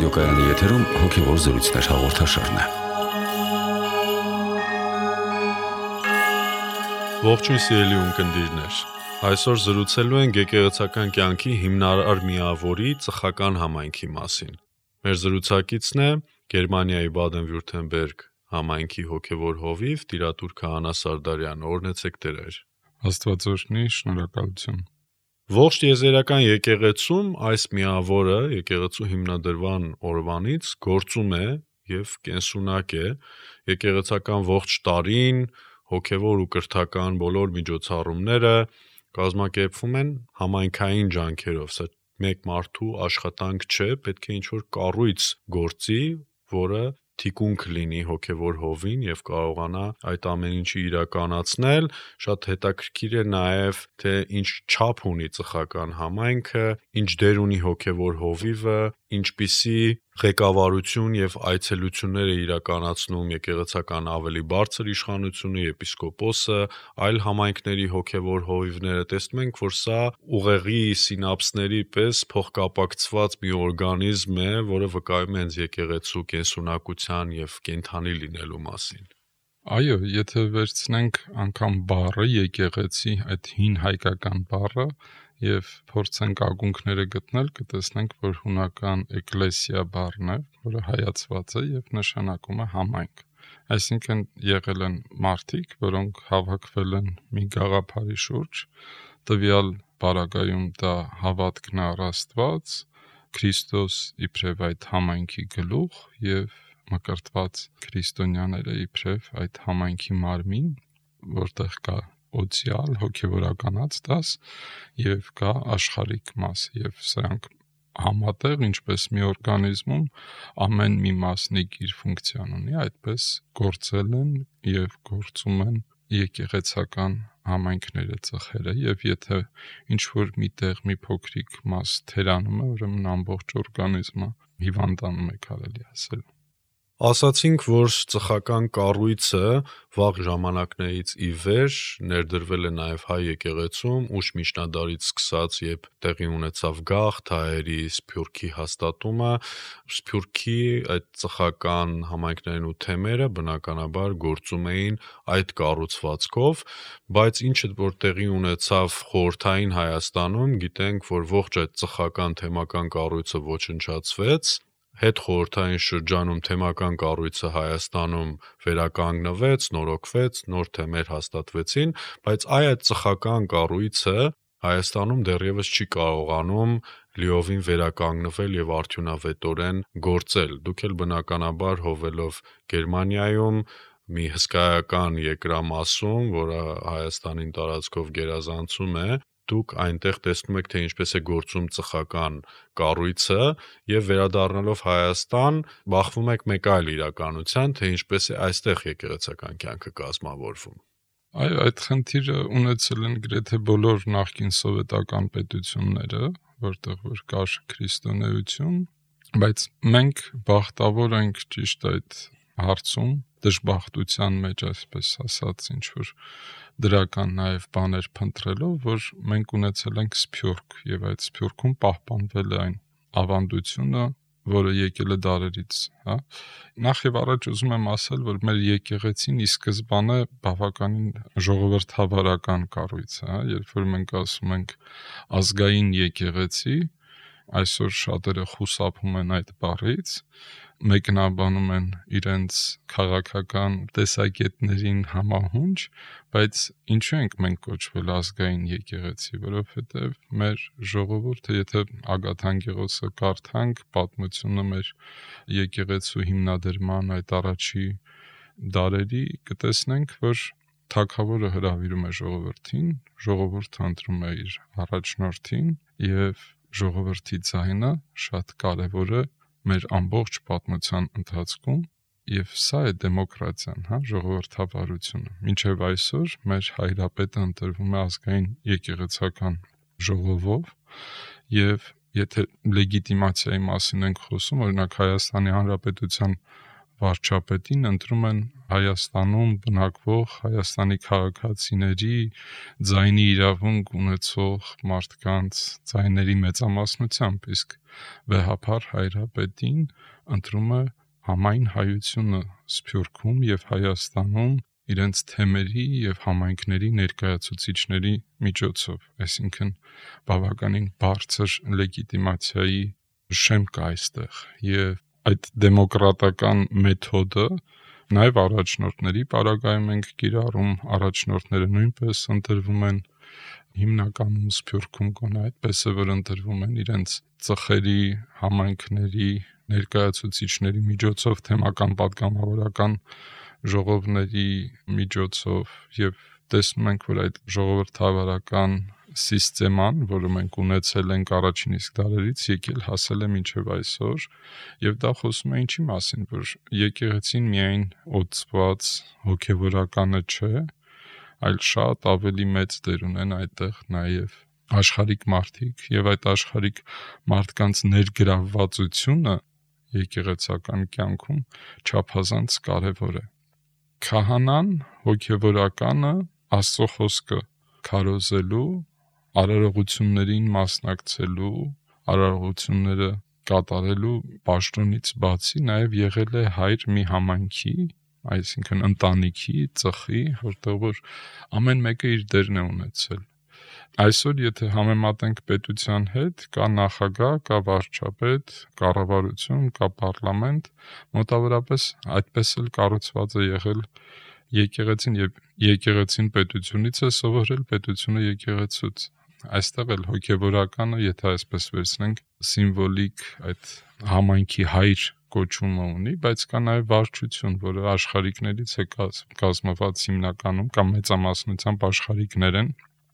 Ռադիոկայանի եթերում հոգևոր զրույցներ հաղորդաշարն է։ Ողջույն սիրելի ունկնդիրներ։ Այսօր զրուցելու ենք եկեղեցական կյանքի հիմնարար միավորի ծխական համայնքի մասին։ Մեր զրուցակիցն է Գերմանիայի Բադեն-Վյուրթեմբերգ համայնքի հոգևոր հովիվ տիրատուր Քահանա Սարդարյանը։ Օրհնեցեք Տեր։ Աստված օրհնի, շնորհակալություն։ Ողջ եզերական եկեղեցում այս միավորը եկեղեցու հիմնադրման օրվանից գործում է եւ կենսունակ է եկեղեցական ողջ տարին հոգևոր ու կրթական բոլոր միջոցառումները կազմակերպվում են համայնքային ջանքերով, սա մեկ մարդու աշխատանք չէ, պետք է ինչ-որ կառույց գործի, որը թիկունք լինի հոգևոր հովին եւ կարողանա այդ ամեն ինչը իրականացնել։ Շատ հետաքրքիր է նաեւ թե ինչ չափ ունի ծխական համայնքը, ինչ դեր ունի հոգևոր հովիվը, ինչպիսի ղեկավարություն եւ այցելություններ է իրականացնում եկեղեցական ավելի բարձր իշխանությունը, եպիսկոպոսը, այլ համայնքների հոգևոր հովիվները։ Տեսնում ենք, որ սա ուղեղի սինապսների պես փոխկապակցված մի օրգանիզմ է, որը վկայում է հենց եկեղեցու կենսունակության եւ կենթանի լինելու մասին։ Այո, եթե վերցնենք անգամ բառը եկեղեցի, այդ հին հայկական բառը եւ փորձենք ակունքները գտնել, կտեսնենք, որ հունական էկլեսիա բառն է, որը հայացված է եւ նշանակում է համայնք։ Այսինքն եղել են մարդիկ, որոնք հավաքվել են մի գաղափարի շուրջ, տվյալ բառակայում դա հավատքն առ Աստված, Քրիստոս իբրև այդ համայնքի գլուխ եւ մկրտված քրիստոնյաները իբրև այդ համայնքի մարմին, որտեղ կա օցիալ հոգևորականած դաս եւ կա աշխարհիկ մաս եւ սրանք համատեղ ինչպես մի օրգանիզմում ամեն մի մասնիկ իր ֆունկցիան ունի, այդպես գործել են եւ գործում են եկեղեցական համայնքները ծխերը եւ եթե ինչ որ միտեղ մի փոքրիկ մաս թերանում է, ուրեմն ամբողջ օրգանիզմը հիվանդանում է, կարելի ասել։ Ասացինք, որ ծխական կառույցը վաղ ժամանակներից ի վեր ներդրվել է նաև հայ եկեղեցում, ուշ միջնադարից սկսած, երբ տեղի ունեցավ գաղթ, հայերի սփյուռքի հաստատումը, սփյուռքի այդ ծխական համայնքներն ու թեմերը բնականաբար գործում էին այդ կառուցվածքով, բայց ինչը որ տեղի ունեցավ խորհրդային Հայաստանում, գիտենք, որ ողջ այդ ծխական թեմական կառույցը ոչնչացվեց, հետ խորհրդային շրջանում թեմական կառույցը Հայաստանում վերականգնվեց, նորոգվեց, նոր թեմեր հաստատվեցին, բայց այդ ծխական կառույցը Հայաստանում դեռևս չի կարողանում լիովին վերականգնվել եւ արդյունավետորեն գործել։ Դուք էլ բնականաբար հովելով Գերմանիայում մի հսկայական երկրամասում, որը Հայաստանին տարածքով գերազանցում է, դուք այնտեղ տեսնում եք, թե ինչպես է գործում ծխական կառույցը եւ վերադառնալով Հայաստան, բախվում եք մեկ այլ իրականության, թե ինչպես է այստեղ եկեղեցական կյանքը կազմավորվում։ Այո, այդ խնդիրը ունեցել են գրեթե բոլոր նախկին սովետական պետությունները, որտեղ որ կար քրիստոնեություն, բայց մենք բախտավոր ենք ճիշտ այդ հարցում դժբախտության մեջ, այսպես ասած, ինչ որ դրական նաև բաներ փնտրելով, որ մենք ունեցել ենք սփյուռք եւ այդ սփյուռքում պահպանվել է այն ավանդությունը, որը եկել է դարերից, հա։ Նախ եւ առաջ ուզում եմ ասել, որ մեր եկեղեցին ի սկզբանե բավականին ժողովրդավարական կառույց է, հա, երբ որ մենք ասում ենք ազգային եկեղեցի, այսօր շատերը խուսափում են այդ բառից, մեկնաբանում են իրենց քաղաքական տեսակետներին համահունչ, բայց ինչու ենք մենք կոչվել ազգային եկեղեցի, որովհետև մեր ժողովուրդը, եթե Ագաթանկեղոսը կարդանք, պատմությունը մեր եկեղեցու հիմնադրման այդ առաջի դարերի, կտեսնենք, որ թագավորը հրավիրում է ժողովրդին, ժողովուրդը ընտրում է իր առաջնորդին եւ ժողովրդի ձայնը շատ կարևոր է մեր ամբողջ պատմության ընթացքում եւ սա է դեմոկրատիան, հա, ժողովրդավարությունը։ Մինչեւ այսօր մեր հայրապետը ընտրվում է ազգային եկեղեցական ժողովով եւ եթե լեգիտիմացիայի մասին ենք խոսում, օրինակ Հայաստանի Հանրապետության վարչապետին ընտրում են Հայաստանում բնակվող Հայաստանի քաղաքացիների ձայնի իրավունք ունեցող մարդկանց ձայների մեծամասնությամբ, իսկ վեհափառ հայրապետին ընտրում է համայն հայությունը Սփյուռքում եւ Հայաստանում իրենց թեմերի եւ համայնքների ներկայացուցիչների միջոցով, այսինքն բավականին բարձր լեգիտիմացիայի շեմ կա այստեղ եւ այդ դեմոկրատական մեթոդը նաև առաջնորդների պարագայում ենք կիրառում, առաջնորդները նույնպես ընտրվում են հիմնականում Սփյուռքում գոնե այդպես է, որ ընտրվում են իրենց ծխերի, համայնքների ներկայացուցիչների միջոցով, թեմական պատգամավորական ժողովների միջոցով եւ տեսնում ենք, որ այդ ժողովրդավարական սիստեման, որը մենք ունեցել ենք առաջին իսկ դարերից, եկել հասել է մինչև այսօր, եւ դա խոսում է ինչի մասին, որ եկեղեցին միայն օծված հոգեվորականը չէ, այլ շատ ավելի մեծ դեր ունեն այդտեղ նաեւ աշխարհիկ մարդիկ, եւ այդ աշխարհիկ մարդկանց ներգրավվածությունը եկեղեցական կյանքում չափազանց կարեւոր է։ Քահանան, հոգեվորականը Աստծո խոսքը քարոզելու, արարողություններին մասնակցելու, արարողությունները կատարելու պաշտոնից բացի նաև եղել է հայր մի համայնքի, այսինքն ընտանիքի, ծխի, որտեղ որ ամեն մեկը իր դերն է ունեցել։ Այսօր եթե համեմատենք պետության հետ, կա նախագահ, կա վարչապետ, կառավարություն, կա պարլամենտ, մոտավորապես այդպես էլ կառուցված է եղել եկեղեցին եւ եկեղեցին պետությունից է սովորել, պետությունը եկեղեցուց։ Այստեղ էլ հոգեվորականը, եթե այսպես վերցնենք, սիմվոլիկ այդ համայնքի հայր կոչումը ունի, բայց կա նաև վարչություն, որը աշխարհիկներից է կազմված հիմնականում կամ մեծամասնությամբ աշխարհիկներ են,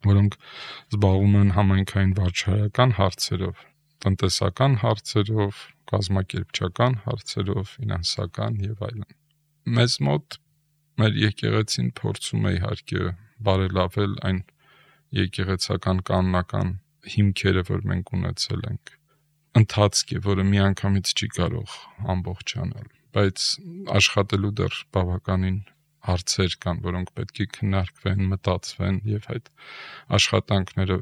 որոնք զբաղվում են համայնքային վարչահայական հարցերով, տնտեսական հարցերով, կազմակերպչական հարցերով, ֆինանսական եւ այլն։ Մեզ մոտ մեր եկեղեցին փորձում է իհարկե բարելավել այն եկեղեցական կանոնական հիմքերը, որ մենք ունեցել ենք, ընթացք է, որը միանգամից չի կարող ամբողջանալ, բայց աշխատելու դեռ բավականին հարցեր կան, որոնք պետք է քննարկվեն, մտածվեն եւ այդ աշխատանքները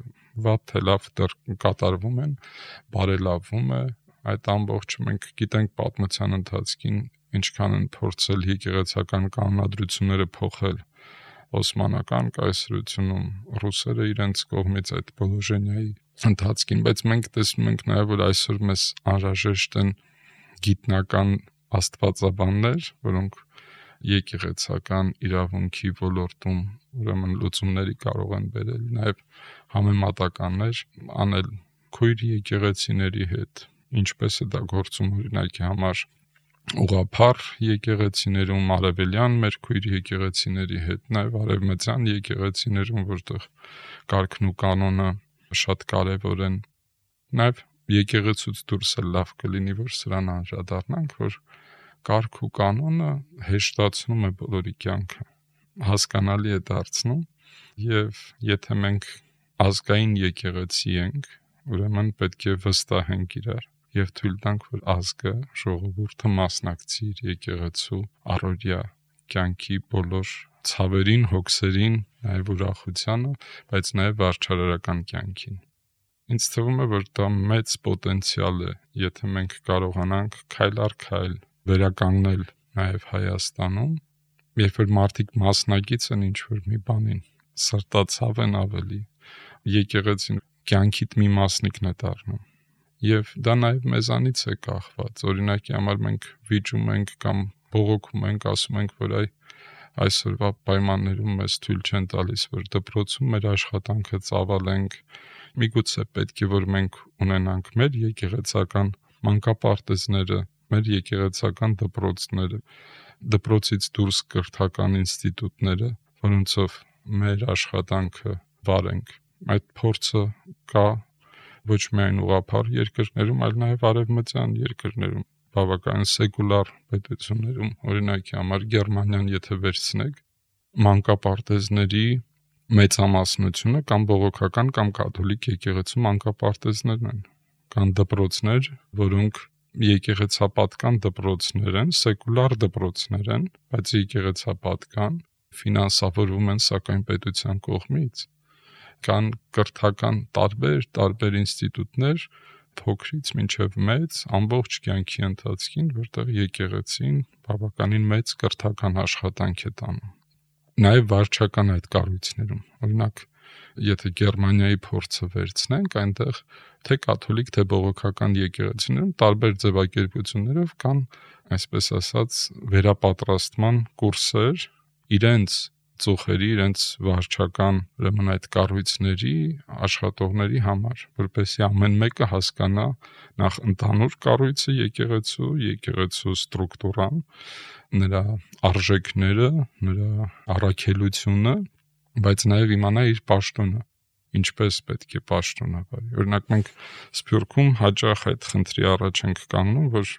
վատ թե լավ դեռ կատարվում են, բարելավվում է այդ ամբողջը։ Մենք գիտենք պատմության ընթացքին ինչքան են փորձել եկեղեցական կանոնադրությունները փոխել Օսմանական կայսրությունում, ռուսերը իրենց կողմից այդ Պոլոժենիայի ընթացքին, բայց մենք տեսնում ենք նաև, որ այսօր մեզ անհրաժեշտ են գիտնական աստվածաբաններ, որոնք եկեղեցական իրավունքի ոլորտում ուրեմն լուծումների կարող են բերել, նաև համեմատականներ անել քույր եկեղեցիների հետ, ինչպես է դա գործում օրինակի համար ուղղափառ եկեղեցիներում, արևելյան մեր քույր եկեղեցիների հետ, նաև արևմտյան եկեղեցիներում, որտեղ կարգն ու կանոնը շատ կարևոր են, նաև եկեղեցուց դուրս էլ լավ կլինի, որ սրան անդրադառնանք, որ կարգ ու կանոնը հեշտացնում է բոլորի կյանքը, հասկանալի է դարձնում, եւ եթե մենք ազգային եկեղեցի ենք, ուրեմն պետք է վստահենք իրար եւ թույլ տանք, որ ազգը, ժողովուրդը մասնակցի իր եկեղեցու առօրյա կյանքի բոլոր ցավերին, հոգսերին, նաև ուրախությանը, բայց նաև վարչարարական կյանքին։ Ինձ թվում է, որ դա մեծ պոտենցիալ է, եթե մենք կարողանանք քայլ առ քայլ վերականգնել նաև Հայաստանում, երբ որ մարդիկ մասնակից են ինչ-որ մի բանին, սրտացավ են ավելի, եկեղեցին կյանքիդ մի մասնիկն է դառնում։ Եվ դա նաև մեզանից է կախված, օրինակի համար մենք վիճում ենք կամ բողոքում ենք, ասում ենք, որ այսօրվա պայմաններում մեզ թույլ չեն տալիս, որ դպրոցում մեր աշխատանքը ծավալենք, միգուցե պետք է, որ մենք ունենանք մեր եկեղեցական մանկապարտեզները, մեր եկեղեցական դպրոցները, դպրոցից դուրս կրթական ինստիտուտները, որոնցով մեր աշխատանքը վարենք։ Այդ փորձը կա ոչ միայն ուղղափառ երկրներում, այլ նաև արևմտյան երկրներում, բավական սեկուլար պետություններում, օրինակի համար Գերմանիան եթե վերցնեք, մանկապարտեզների մեծամասնությունը կամ բողոքական կամ կաթոլիկ եկեղեցու մանկապարտեզներն են, կան դպրոցներ, որոնք եկեղեցապատկան դպրոցներ են, սեկուլար դպրոցներ են, բայց եկեղեցապատկան ֆինանսավորվում են սակայն պետության կողմից։ Կան կրթական տարբեր ինստիտուտներ, փոքրից մինչև մեծ, ամբողջ կյանքի ընթացքին, որտեղ եկեղեցին բավականին մեծ կրթական աշխատանք է տանում։ Նաև վարչական այդ կառույցներում, օրինակ, եթե Գերմանիայի փորձը վերցնենք, այնտեղ թե կաթոլիկ, թե բողոքական եկեղեցիներում տարբեր ձևակերպություններով կան, այսպես ասած, վերապատրաստման կուրսեր իրենց ծուխերի, իրենց վարչական ուրեմն այդ կառույցների աշխատողների համար, որպեսզի ամեն մեկը հասկանա նախ ընդհանուր կառույցը եկեղեցու ստրուկտուրան, նրա արժեքները, նրա առաքելությունը, բայց նաև իմանա իր պաշտոնը, ինչպես պետք է պաշտոնավարի։ Օրինակ մենք Սփյուռքում հաճախ այդ խնդրի առաջ ենք կանգնում, որ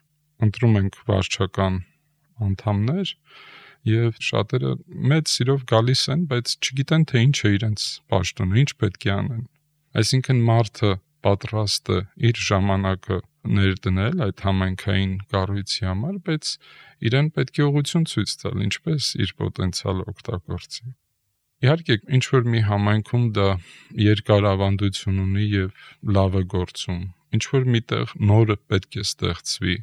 ընտրում ենք վարչական անդամներ եւ շատերը մեծ սիրով գալիս են, բայց չգիտեն թե ինչ է իրենց պաշտոնը, ինչ պետք է անեն։ Այսինքն մարդը պատրաստ է իր ժամանակը ներդնել այդ համայնքային կառույցի համար, բայց իրեն պետք է ուղղություն ցույց տալ, ինչպես իր պոտենցիալը օգտագործի։ Իհարկե, ինչ որ մի համայնքում դա երկար ավանդություն ունի եւ լավ է գործում, ինչ որ միտեղ նորը պետք է ստեղծվի։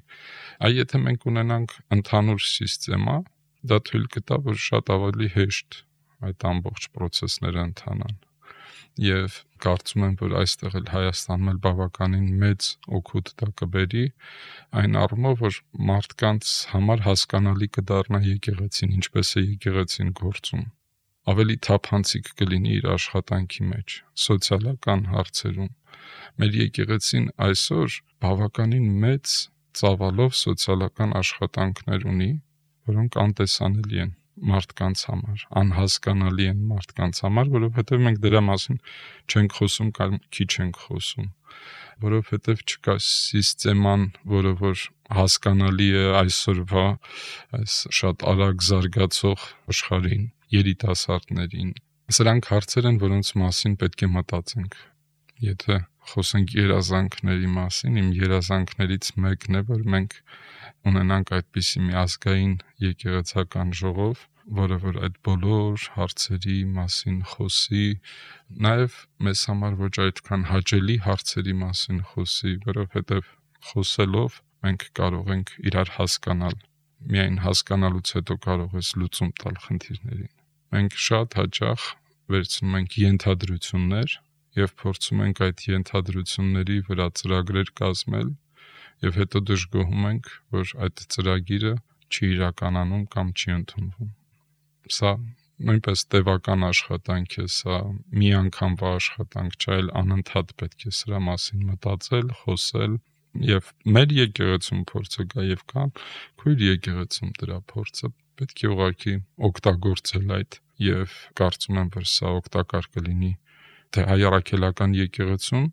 Այ եթե մենք ունենանք ընդհանուր համակարգ, դա թույլ կտա, որ շատ ավելի հեշտ այդ ամբողջ process-ները ընթանան։ Եվ կարծում եմ, որ այստեղ էլ Հայաստանում էլ բավականին մեծ օգուտ դա կբերի, այն առումով, որ մարդկանց համար հասկանալի կդառնա եկեղեցին, ինչպես է եկեղեցին գործում։ Ավելի թափանցիկ կլինի իր աշխատանքի մեջ, սոցիալական հարցերում։ Մեր եկեղեցին այսօր բավականին մեծ ծավալով սոցիալական աշխատանքներ ունի, որոնք անտեսանելի են մարդկանց համար, անհասկանալի են մարդկանց համար, որովհետև մենք դրա մասին չենք խոսում կամ քիչ ենք խոսում, որովհետև չկա համակարգ, որը որ հասկանալի է այսօրվա այս շատ արագ զարգացող աշխարհին, երիտասարդներին։ Սրանք հարցեր են, որոնց մասին պետք է մտածենք։ Եթե խոսենք երազանքների մասին, իմ երազանքներից մեկն է, որ մենք ունենանք այդպիսի մի ազգային եկեղեցական ժողով, որը որ այդ բոլոր հարցերի մասին խոսի, նաև մեզ համար ոչ այդքան հաճելի հարցերի մասին խոսի, որովհետև խոսելով մենք կարող ենք իրար հասկանալ, միայն հասկանալուց հետո կարող ես լուծում տալ խնդիրներին։ Մենք շատ հաճախ վերցնում ենք ենթադրություններ եւ փորձում ենք այդ ենթադրությունների վրա ծրագրեր կազմել եւ հետո դժգոհում ենք, որ այդ ծրագիրը չի իրականանում կամ չի ընդունվում։ Սա նույնպես տևական աշխատանք է, սա միանգամվա աշխատանք չէ, այլ անընդհատ պետք է սրա մասին մտածել, խոսել եւ մեր եկեղեցում փորձը կա եւ կան քույր եկեղեցում դրա փորձը պետք է ուղղակի օգտագործել այդ եւ կարծում եմ, որ սա օգտակար կլինի թե հայ առաքելական եկեղեցուն,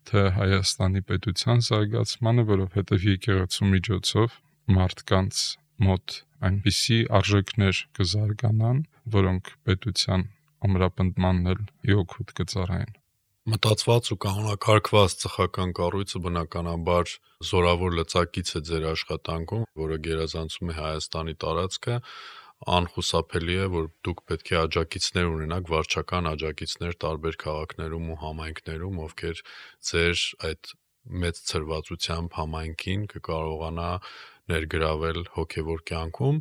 թե Հայաստանի պետության զարգացմանը, որովհետև եկեղեցու միջոցով մարդկանց մոտ այնպիսի արժեքներ կզարգանան, որոնք պետության ամրապնդմանն էլ իօգուտ կծառայեն։ Մտածված ու կանոնակարգված ծխական կառույցը բնականաբար զորավոր լծակից է ձեր աշխատանքում, որը գերազանցում է Հայաստանի տարածքը, անխուսափելի է, որ դուք պետք է աջակիցներ ունենաք, վարչական աջակիցներ տարբեր քաղաքներում ու համայնքներում, ովքեր ձեր այդ մեծ ցրվածությամբ համայնքին կկարողանա ներգրավել հոգևոր կյանքում։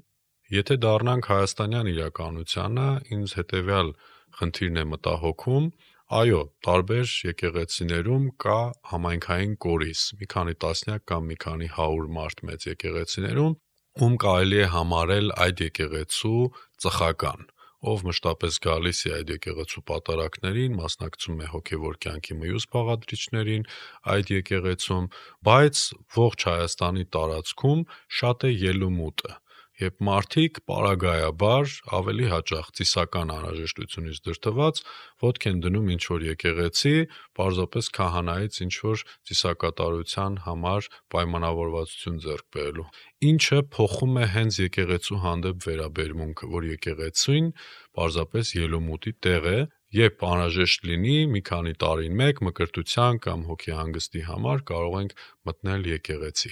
Եթե դառնանք հայաստանյան իրականությանը, ինձ հետևյալ խնդիրն է մտահոգում, այո, տարբեր եկեղեցիներում կա համայնքային կորիզ, մի քանի տասնյակ կամ մի քանի 100 մարդ մեծ եկեղեցիներում, ում կարելի է համարել այդ եկեղեցու ծխական, ով մշտապես գալիս է այդ եկեղեցու պատարակներին, մասնակցում է հոգևոր կյանքի մյուս բաղադրիչներին այդ եկեղեցում, բայց ողջ Հայաստանի տարածքում շատ է ելումուտը, երբ մարդիկ պարագայաբար ավելի հաճախ ծիսական անհրաժեշտությունից դրդված ոտք են դնում ինչ-որ եկեղեցի, պարզապես քահանայից ինչ-որ ծիսակատարության համար պայմանավորվածություն ձեռք բերելու, ինչը փոխում է հենց եկեղեցու հանդեպ վերաբերմունքը, որ եկեղեցին պարզապես ելումուտի տեղ է Երբ անհրաժեշտ լինի, մի քանի տարին մեկ մկրտության կամ հոգեհանգստի համար կարող ենք մտնել եկեղեցի։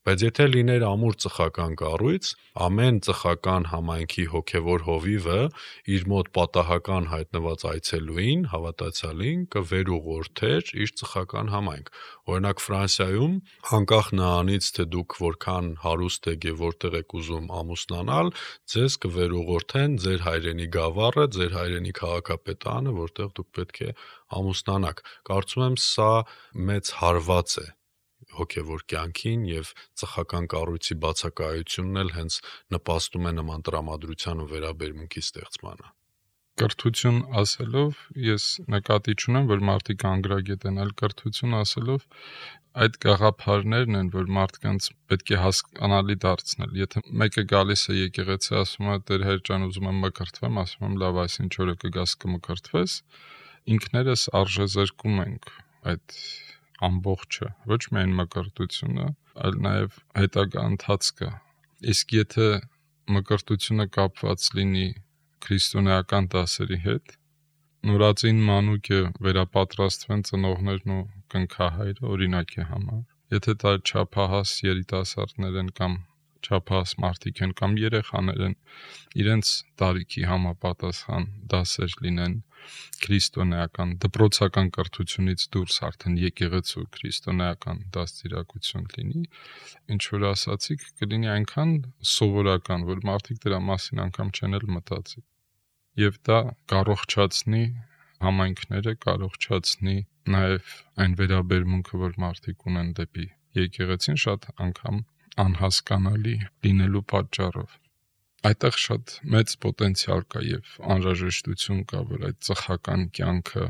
Բայց եթե լիներ ամուր ծխական կառույց, ամեն ծխական համայնքի հոգևոր հովիվը իր մոտ պատահական հայտնված այցելուին, հավատացյալին կվերուղորդեր իր ծխական համայնք։ Օրինակ Ֆրանսիայում, անկախ նրանից, թե դուք որքան հարուստ եք եւ որտեղ եք ուզում ամուսնանալ, ձեզ կվերուղորդեն ձեր հայրենի գավառը, ձեր հայրենի քաղաքապետարանը, որտեղ դուք պետք է ամուսնանաք։ Կարծում եմ, սա մեծ հարված է հոգևոր կյանքին եւ ծխական կառույցի բացակայությունն էլ հենց նպաստում է նման տրամադրության ու վերաբերմունքի ստեղծմանը։ Կրթություն ասելով ես նկատի չունեմ, որ մարդիկ անգրագետ են, այլ կրթություն ասելով այդ գաղափարներն են, որ մարդկանց պետք է հասկանալի դարձնել։ Եթե մեկը գալիս է եկեղեցի, ասում է Տեր Հայր ջան, ուզում եմ մկրտվեմ, ասում եմ լավ, այսինչ օրը կգաս կմկրտվես, ինքներս արժեզրկում ենք այդ ամբողջը, ոչ միայն մկրտությունը, այլ նաև հետագա ընթացքը։ Իսկ եթե մկրտությունը կապված լինի քրիստոնեական դասերի հետ, նորածին մանուկը վերապատրաստվեն ծնողներն ու կնքահայրը օրինակի համար։ Եթե դա չափահաս երիտասարդներ են կամ չափահաս մարդիկ են կամ երեխաներ են, իրենց տարիքի համապատասխան դասեր լինեն քրիստոնեական դպրոցական կրթությունից դուրս արդեն եկեղեցու քրիստոնեական դաստիարակություն լինի, ինչ որ ասացիք, կլինի այնքան սովորական, որ մարդիկ դրա մասին անգամ չեն էլ մտածի։ Եվ դա կարողացնի համայնքները, կարողացնի նաև այն վերաբերմունքը, որ մարդիկ ունեն դեպի եկեղեցին, շատ անգամ անհասկանալի լինելու պատճառով։ Այդտեղ շատ մեծ պոտենցիալ կա եւ անհրաժեշտություն կա, որ այդ ծխական կյանքը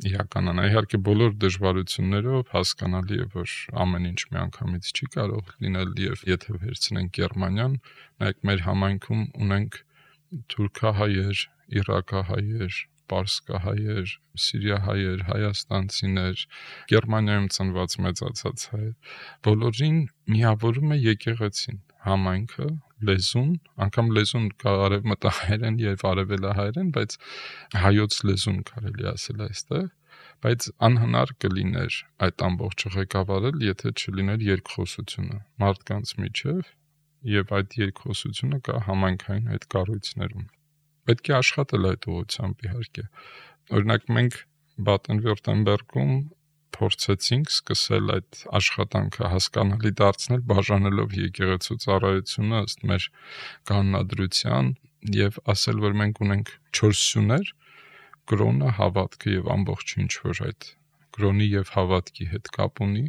իրականանա։ Իհարկե բոլոր դժվարություններով հասկանալի է, որ ամեն ինչ միանգամից չի կարող լինել եւ եթե վերցնենք Գերմանիան, նայեք մեր համայնքում ունենք թուրքահայեր, իրաքահայեր, պարսկահայեր, սիրիահայեր, հայաստանցիներ, Գերմանիայում ծնված մեծացած հայեր, բոլորին միավորում է եկեղեցին, համայնքը, լեզուն, անգամ լեզուն կա արևմտահայերեն եւ արևելահայերեն, բայց հայոց լեզուն կարելի ասել այստեղ, բայց անհնար կլիներ այդ ամբողջը ղեկավարել, եթե չլիներ երկխոսությունը մարդկանց միջև եւ այդ երկխոսությունը կա համայնքային այդ կառույցներում։ Պետք է աշխատել այդ ուղղությամբ իհարկե։ Օրինակ մենք Բադեն-Վյուրտեմբերգում փորձեցինք սկսել այդ աշխատանքը հասկանալի դարձնել, բաժանելով եկեղեցու ծառայությունը ըստ մեր կանոնադրության եւ ասել, որ մենք ունենք 4 սյուներ՝ կրոնը, հավատքը եւ ամբողջ ինչ որ այդ կրոնի եւ հավատքի հետ կապ ունի,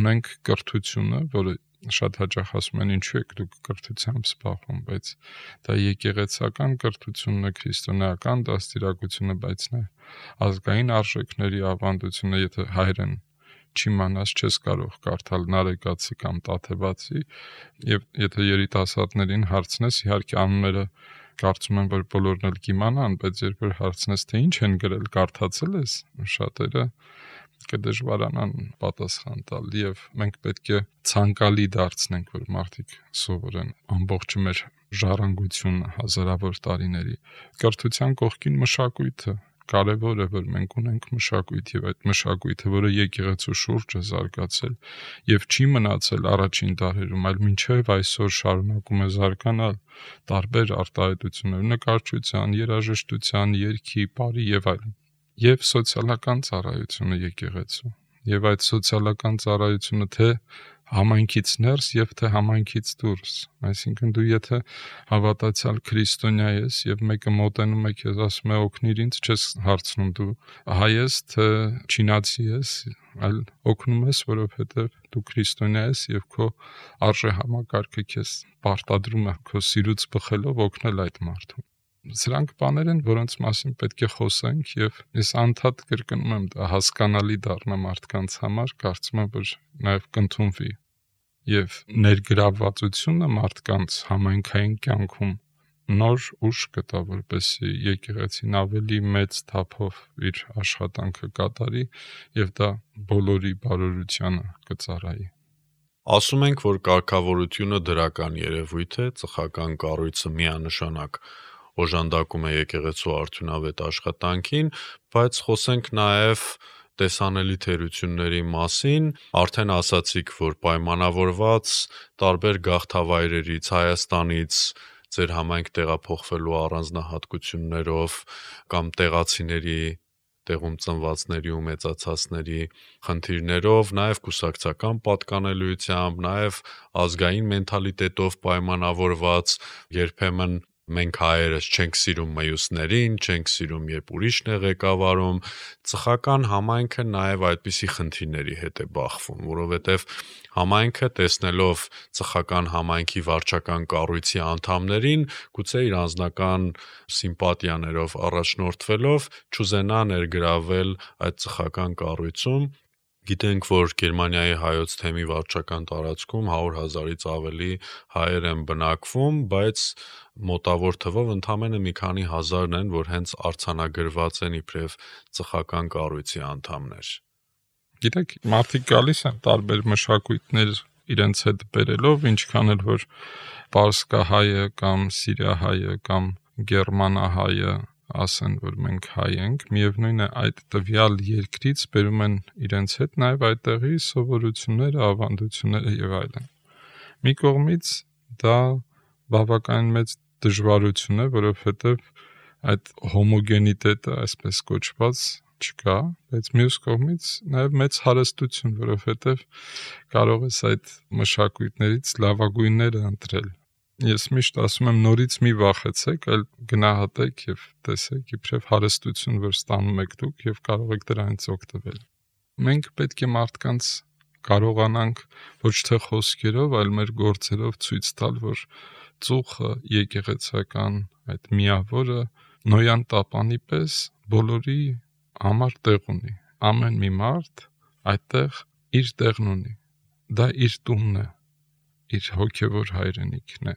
ունենք կրթությունը, որը շատ հաճախ ասում են ինչու եք դուք կրթությամբ զբաղվում, բայց դա եկեղեցական կրթությունն է, քրիստոնեական դաստիարակությունը, բայց նա ազգային արժեքների ավանդությունը, եթե հայերեն չիմանաս չես կարող կարդալ նարեկացի կամ տաթևացի, եւ եթե երիտասարդներին հարցնես, իհարկե անունները կարծում եմ, որ բոլորն էլ կիմանան, բայց երբ որ հարցնես, թե ինչ են գրել, կարդացել ես, շատերը կդժվարանան պատասխան տալ եւ մենք պետք է ցանկալի դարձնենք, որ մարդիկ սովորեն ամբողջ մեր ժառանգությունը հազարավոր տարիների։ Կրթության կողքին մշակույթը կարևոր է, որ մենք ունենք մշակույթ եւ այդ մշակույթը, որը եկեղեցու շուրջ է զարգացել եւ չի մնացել առաջին դարերում, այլ մինչեւ այսօր շարունակում է զարգանալ տարբեր արտահայտություններ, նկարչության, երաժշտության, երգի, պարի եւ այլն։ Եվ սոցիալական ծառայությունը եկեղեցու։ Եվ այդ սոցիալական ծառայությունը թե համայնքից ներս եւ թե համայնքից դուրս։ Այսինքն դու եթե հավատացյալ քրիստոնյա ես եւ մեկը մոտենում է քեզ ասում է օգնիր ինձ, չես հարցնում դու հայ ես թե չինացի ես, այլ օգնում ես, որովհետեւ դու քրիստոնյա ես եւ քո արժե համակարգը քեզ պարտադրում է քո սիրուց բխելով օգնել այդ մարդուն։ Սրանք բաներ են, որոնց մասին պետք է խոսենք եւ ես անդադ կրկնում եմ, դա հասկանալի դառնա մարդկանց համար, կարծում եմ, որ նաեւ կընդունվի եւ ներգրավվածությունը մարդկանց համայնքային կյանքում նոր ուժ կտա, որպեսզի եկեղեցին ավելի մեծ թափով իր աշխատանքը կատարի եւ դա բոլորի բարօրությանը կծառայի։ Ասում ենք, որ կարգավորությունը դրական երևույթ է, ծխական կառույցը միանշանակ օժանդակում է եկեղեցու արդյունավետ աշխատանքին, բայց խոսենք նաև տեսանելի թերությունների մասին, արդեն ասացիք, որ պայմանավորված տարբեր գաղթավայրերից, Հայաստանից ձեր համայնք տեղափոխվելու առանձնահատկություններով կամ տեղացիների տեղում ծնվածների ու մեծացածների խնդիրներով, նաև կուսակցական պատկանելիությամբ, նաև ազգային մենթալիտետով պայմանավորված, երբեմն մենք հայերս չենք սիրում մյուսներին, չենք սիրում, երբ ուրիշն է ղեկավարում, ծխական համայնքը նաև այդպիսի խնդիրների հետ է բախվում, որովհետև համայնքը տեսնելով ծխական համայնքի վարչական կառույցի անդամներին, գուցե իր անձնական սիմպատիաներով առաջնորդվելով չուզենա ներգրավել այդ ծխական կառույցում։ Գիտենք, որ Գերմանիայի հայոց թեմի վարչական տարածքում 100,000-ից ավելի հայեր են բնակվում, բայց մոտավոր թվով ընդամենը մի քանի հազարն են, որ հենց արձանագրված են իբրև ծխական կառույցի անդամներ։ Գիտեք, մարդիկ գալիս են տարբեր մշակույթներ իրենց հետ բերելով, ինչքան էլ որ պարսկահայը կամ սիրիահայը կամ գերմանահայը ասեն, որ մենք հայ ենք, միևնույն է այդ տվյալ երկրից բերում են իրենց հետ նաև այդտեղի սովորությունները, ավանդությունները եւ այլն։ Մի կողմից դա բավականին մեծ դժվարություն է, որովհետեւ այդ հոմոգենիտետը, այսպես կոչված, չկա, բայց մյուս կողմից նաև մեծ հարստություն, որովհետև կարող ես այդ մշակույթներից լավագույնները ընտրել։ Ես միշտ ասում եմ նորից մի վախեցեք, այլ գնահատեք եւ տեսեք իբրև հարստություն, որ ստանում եք դուք եւ կարող եք դրանից օգտվել։ Մենք պետք է մարդկանց կարողանանք ոչ թե խոսքերով, այլ մեր գործերով ցույց տալ, որ ծուխը եկեղեցական այդ միավորը նոյան տապանի պես բոլորի համար տեղ ունի։ Ամեն մի մարդ այդտեղ իր տեղն ունի։ Դա իր տունն է, իր հոգևոր հայրենիքն է։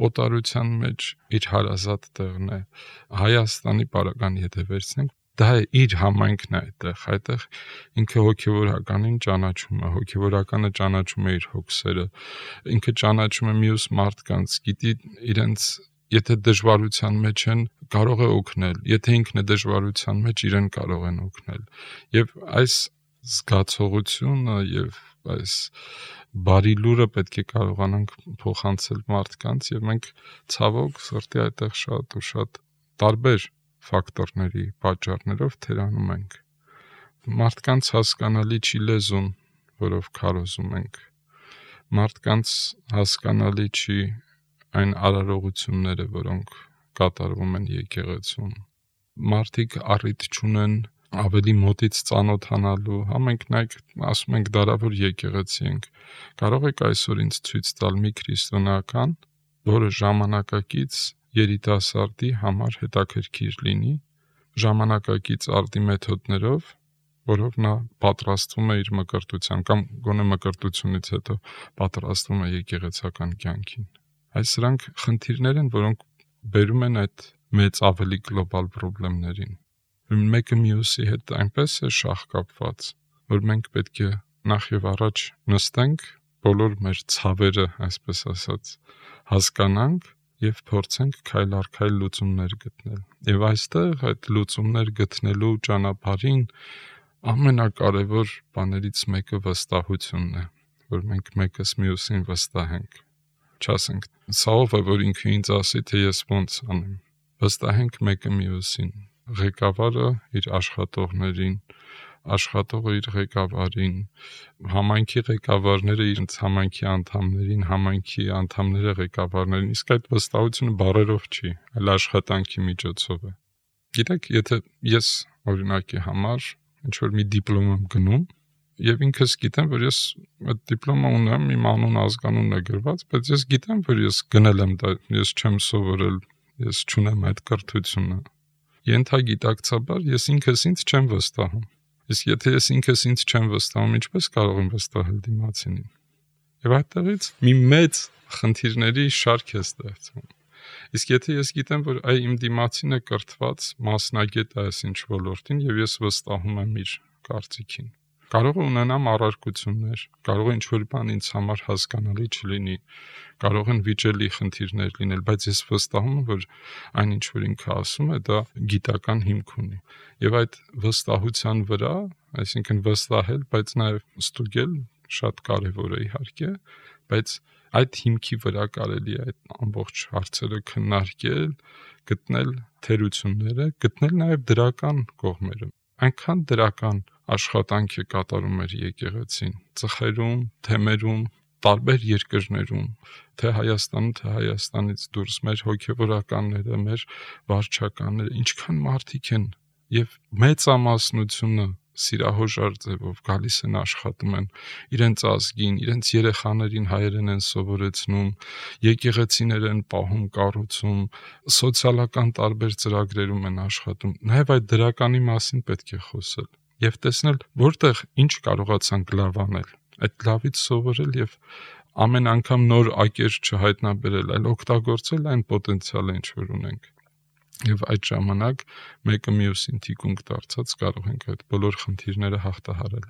Օտարության մեջ իր հարազատ տեղն է։ Հայաստանի պարագան եթե վերցնենք, դա է իր համայնքն է այդտեղ ինքը հոգևորականին ճանաչում է, հոգևորականը ճանաչում է իր հոգսերը, ինքը ճանաչում է մյուս մարդկանց, գիտի իրենց եթե դժվարության մեջ են, կարող է օգնել, եթե ինքն է դժվարության մեջ, իրեն կարող են օգնել։ Եվ այս զգացողությունը եւ այս բարի լուրը պետք է կարողանանք փոխանցել մարդկանց եւ մենք ցավոք սրտի այդտեղ շատ ու շատ տարբեր ֆակտորների պատճառներով թերանում ենք։ Մարդկանց հասկանալի չի լեզուն, որով քարոզում ենք։ Մարդկանց հասկանալի չի այն արարողությունները, որոնք կատարվում են եկեղեցում։ Մարդիկ առիթ չունեն ավելի մոտից ծանոթանալու, մենք նայեք, ասում ենք դարավոր եկեղեցի ենք։ Կարող եք այսօր ինձ ցույց տալ մի քրիստոնեական, որը ժամանակակից երիտասարդի համար հետաքրքիր լինի, ժամանակակից արդի մեթոդներով, որով նա պատրաստվում է իր մկրտության կամ գոնե մկրտությունից հետո պատրաստվում է եկեղեցական կյանքին։ Այս սրանք խնդիրներ են, որոնք բերում են այդ մեծ ավելի գլոբալ խնդիրներին։ Մեկը մյուսի հետ այնպես է շահկապված, որ մենք պետք է նախ եւ առաջ նստենք, բոլոր մեր ցավերը, այսպես ասած, հասկանանք եւ փորձենք քայլ առ քայլ լուծումներ գտնել։ Եվ այստեղ այդ լուծումներ գտնելու ճանապարհին ամենակարևոր բաներից մեկը վստահությունն է, որ մենք մեկս մյուսին վստահենք։ Չասենք, սա ով է, որ ինքը ինձ ասի, թե ես ոնց անեմ։ Վստահենք մեկը մյուսին։ Ղեկավարը իր աշխատողներին, աշխատողը իր ղեկավարին, համայնքի ղեկավարները իրենց համայնքի անդամներին, համայնքի անդամները ղեկավարներին, իսկ այդ վստահությունը բառերով չի, այլ աշխատանքի միջոցով է։ Գիտեք, եթե ես օրինակի համար ինչ-որ մի դիպլոմ եմ գնում, եւ ինքս գիտեմ, որ ես այդ դիպլոմը ունեմ, իմ անուն ազգանունն է գրված, բայց ես գիտեմ, որ ես գնել եմ դա, ես չեմ սովորել, ես չունեմ այդ կրթությունը։ Ենթագիտակցաբար ես ինքս ինձ չեմ վստահում։ Իսկ եթե ես ինքս ինձ չեմ վստահում, ինչպես կարող եմ վստահել դիմացինին։ Եվ այդտեղից մի մեծ խնդիրների շարք է ստեղծվում։ Իսկ եթե ես գիտեմ, որ այ իմ դիմացին է կրթված, մասնագետ է այս ինչ ոլորտին եւ ես վստահում եմ իր կարծիքին, Կարող է ունենամ առարկություններ, կարող է ինչ-որ բան ինձ համար հասկանալի չլինի, կարող են վիճելի խնդիրներ լինել, բայց ես վստահում եմ, որ այն ինչ որ ինքը ասում է, դա գիտական հիմք ունի։ Եվ այդ վստահության վրա, այսինքն վստահել, բայց նաև ստուգել շատ կարևոր է իհարկե, բայց այդ հիմքի վրա կարելի է այդ ամբողջ հարցերը քննարկել, գտնել թերությունները, գտնել նաև դրական կողմերը։ Այնքան դրական աշխատանք է կատարում մեր եկեղեցին, ծխերում, թեմերում, տարբեր երկրներում, թե Հայաստանում, թե Հայաստանից դուրս, մեր հոգևորականները, մեր վարչականները, ինչքան մարդիկ են եւ մեծամասնությունը սիրահոժար ձևով գալիս են աշխատում են իրենց ազգին, իրենց երեխաներին հայերեն են սովորեցնում, եկեղեցիներ են պահում, կառուցում, սոցիալական տարբեր ծրագրերում են աշխատում։ Նաև այդ դրականի մասին պետք է խոսել եւ տեսնել, որտեղ ինչ կարողացանք լավ անել, այդ լավից սովորել եւ ամեն անգամ նոր ակեր չհայտնաբերել, այլ օգտագործել այն պոտենցիալը, ինչ որ ունենք։ Եվ այդ ժամանակ մեկը մյուսին թիկունք դարձած կարող ենք այդ բոլոր խնդիրները հաղթահարել։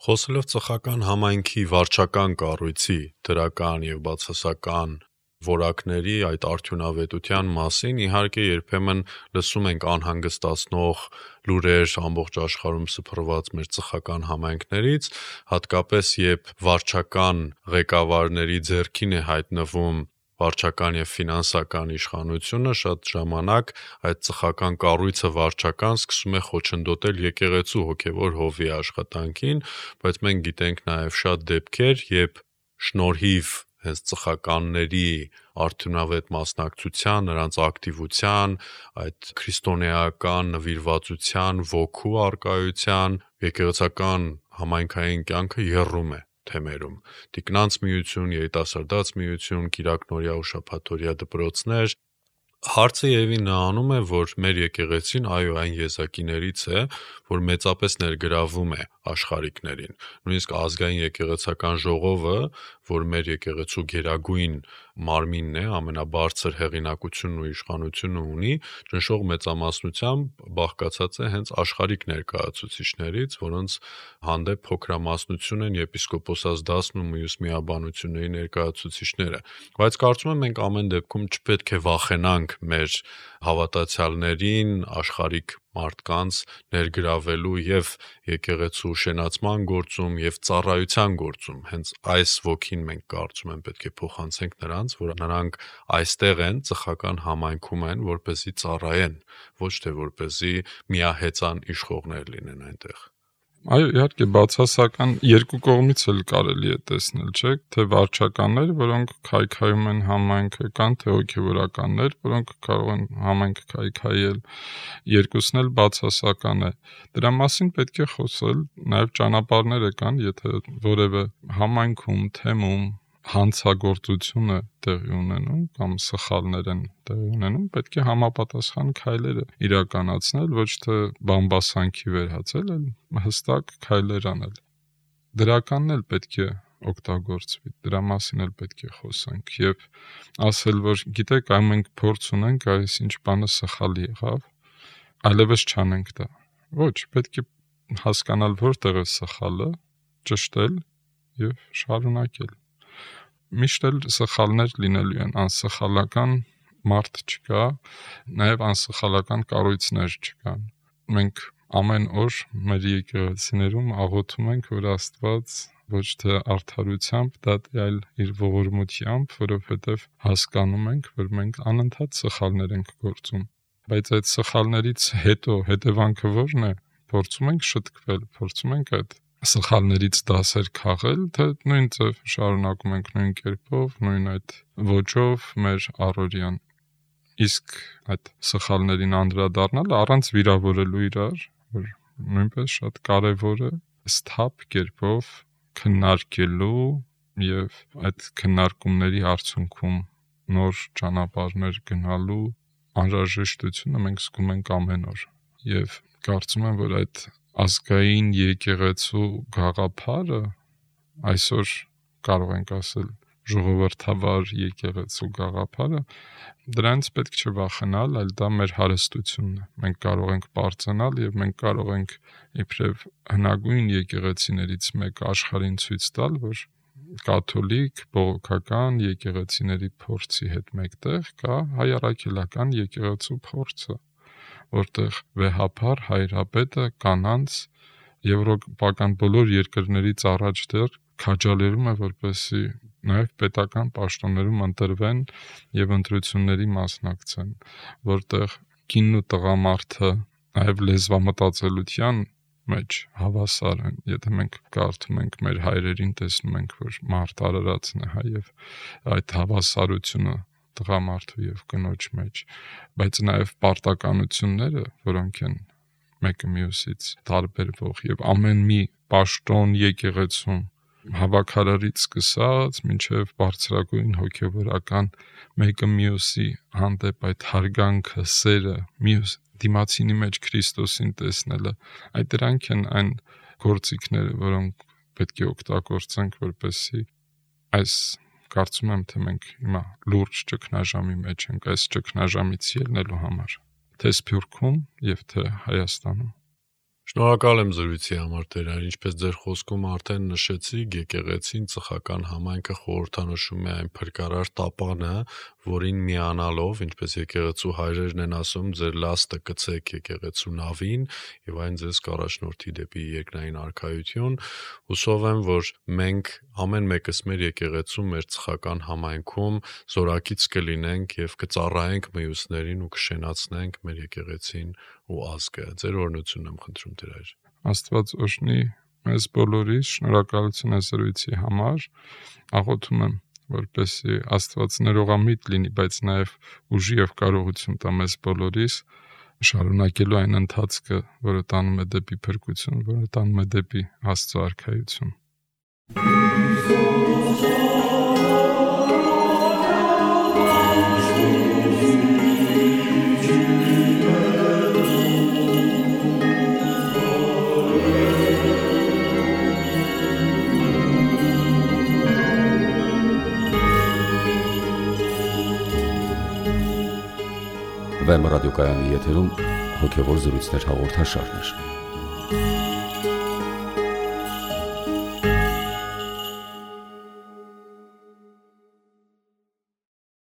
Խոսելով ծխական համայնքի վարչական կառույցի դրական եւ բացասական որակների այդ արդյունավետության մասին, իհարկե երբեմն լսում ենք անհանգստացնող լուրեր ամբողջ աշխարհում սփռված մեր ծխական համայնքներից, հատկապես երբ վարչական ղեկավարների ձեռքին է հայտնվում վարչական եւ ֆինանսական իշխանությունը, շատ ժամանակ այդ ծխական կառույցը վարչական սկսում է խոչընդոտել եկեղեցու հոգևոր հովի աշխատանքին, բայց մենք գիտենք նաեւ շատ դեպքեր, երբ շնորհիվ հենց ծխականների արդյունավետ մասնակցության, նրանց ակտիվության, այդ քրիստոնեական նվիրվածության, ոգու արկայության, եկեղեցական համայնքային կյանքը եռում է թեմերում։ Տիկնանց միություն, երիտասարդաց միություն, կիրակնորյա ու շաբաթօրյա դպրոցներ։ Հարցը եւի նրանում է, որ մեր եկեղեցին այո այն եզակիներից է, որ մեծապես ներգրավում է աշխարհիկներին։ Նույնիսկ ազգային եկեղեցական ժողովը, որ մեր եկեղեցու գերագույն մարմինն է, ամենաբարձր հեղինակությունն ու իշխանությունը ունի, ճնշող մեծամասնությամբ բաղկացած է հենց աշխարհիկ ներկայացուցիչներից, որոնց հանդեպ փոքրամասնություն են եպիսկոպոսաց դասն ու մյուս միաբանությունների ներկայացուցիչները։ Բայց կարծում եմ մենք ամեն դեպքում չպետք է վախենանք մեր հավատացյալներին, աշխարհիկ մարդկանց ներգրավելու եւ եկեղեցու շենացման գործում եւ ծառայության գործում։ Հենց այս ոգին մենք կարծում եմ պետք է փոխանցենք նրանց, որ նրանք այստեղ են, ծխական համայնքում են, որպեսզի ծառայեն, ոչ թե որպեսզի միահեծան իշխողներ լինեն այնտեղ։ Այո, իհարկե բացասական երկու կողմից էլ կարելի է տեսնել, չէ՞, թե վարչականներ, որոնք քայքայում են համայնքը, կան թե հոգևորականներ, որոնք կարող են համայնքը քայքայել, երկուսն էլ բացասական է։ Դրա մասին պետք է խոսել, նաև ճանապարհները կան, եթե որևէ համայնքում, թեմում հանցագործություն է տեղի ունենում կամ սխալներ են տեղի ունենում, պետք է համապատասխան քայլերը իրականացնել, ոչ թե բամբասանքի վերածել, այլ հստակ քայլեր անել։ Դրականն էլ պետք է օգտագործվի, դրա մասին էլ պետք է խոսենք եւ ասել, որ գիտեք, այ մենք փորձ ունենք, այս ինչ բանը սխալ եղավ, այլևս չանենք դա։ Ոչ, պետք է հասկանալ որտեղ է սխալը, ճշտել եւ շարունակել։ Միշտ էլ սխալներ լինելու են, անսխալական մարդ չկա, նաև անսխալական կառույցներ չկան։ Մենք ամեն օր մեր եկեղեցիներում աղոթում ենք, որ Աստված ոչ թե արդարությամբ դատի, այլ իր ողորմությամբ, որովհետև հասկանում ենք, որ մենք անընդհատ սխալներ ենք գործում։ Բայց այդ սխալներից հետո հետևանքը ո՞րն է։ Փորձում ենք շտկվել, փորձում ենք այդ սխալներից դասեր քաղել, թե նույն ձև շարունակում ենք նույն կերպով, նույն այդ ոճով մեր առօրյան։ Իսկ այդ սխալներին անդրադառնալը առանց վիրավորելու իրար, որ նույնպես շատ կարևոր է, սթափ կերպով քննարկելու եւ այդ քննարկումների արդյունքում նոր ճանապարհներ գնալու անհրաժեշտությունը մենք զգում ենք ամեն օր։ Եվ կարծում եմ, որ այդ ազգային եկեղեցու գաղափարը այսօր կարող ենք ասել ժողովրդավար եկեղեցու գաղափարը, դրանից պետք չէ վախենալ, այլ դա մեր հարստությունն է։ Մենք կարող ենք բարձրանալ եւ մենք կարող ենք իբրև հնագույն եկեղեցիներից մեկ աշխարհին ցույց տալ, որ կաթոլիկ բողոքական եկեղեցիների փորձի հետ մեկտեղ կա հայ առաքելական եկեղեցու փորձը, որտեղ վեհափար հայրապետը կանանց եվրոպական բոլոր երկրներից առաջ դեռ քաջալերում է, որպեսզի նաև պետական պաշտոններում ընտրվեն եւ ընտրությունների մասնակցեն, որտեղ կինն ու տղամարդը նաև լեզվամտածելության մեջ հավասար են։ Եթե մենք կարդում ենք մեր հայրերին, տեսնում ենք, որ մարդ արարածն է, եւ այդ հավասարությունը տղամարդու եւ կնոջ մեջ, բայց նաև պարտականությունները, որոնք են մեկը մյուսից տարբերվող եւ ամեն մի պաշտոն եկեղեցում հավաքարարից սկսած մինչև բարձրագույն հոգևորական մեկը մյուսի հանդեպ այդ հարգանքը, սերը, մյուս դիմացինի մեջ Քրիստոսին տեսնելը, այդ դրանք են այն գործիքները, որոնք պետք է օգտագործենք, որպեսզի այս կարծում եմ, թե մենք հիմա լուրջ ճգնաժամի մեջ ենք այս ճգնաժամից ելնելու համար, թե Սփյուռքում եւ թե Հայաստանում։ Շնորհակալ եմ զրույցի համար, Տերային, ինչպես ձեր խոսքում արդեն նշեցիք, եկեղեցին ծխական համայնքը խորհրդանշում է այն փրկարար տապանը, որին միանալով, ինչպես եկեղեցու հայրերն են ասում, ձեր լաստը կցեք եկեղեցու նավին եւ այն ձեզ կառաջնորդի դեպի երկնային արքայություն։ Հուսով եմ, որ մենք ամեն մեկս մեր եկեղեցում, մեր ծխական համայնքում զորակից կլինենք եւ կծառայենք մյուսներին ու կշենացնենք մեր եկեղեցին ու ազգը։ Ձեր օրհնությունն եմ խնդրում, Տեր։ Աստված օրհնի մեզ բոլորիս, շնորհակալություն է զրույցի համար, աղոթում եմ, որպեսզի Աստված ներողամիտ լինի, բայց նաև ուժի եւ կարողություն տա մեզ բոլորիս շարունակելու այն ընթացքը, որը տանում է դեպի փրկություն, որը տանում է դեպի Աստծո արքայություն։ Վեմ ռադիոկայանի եթերում հոգևոր զրույցներ հաղորդաշարներ։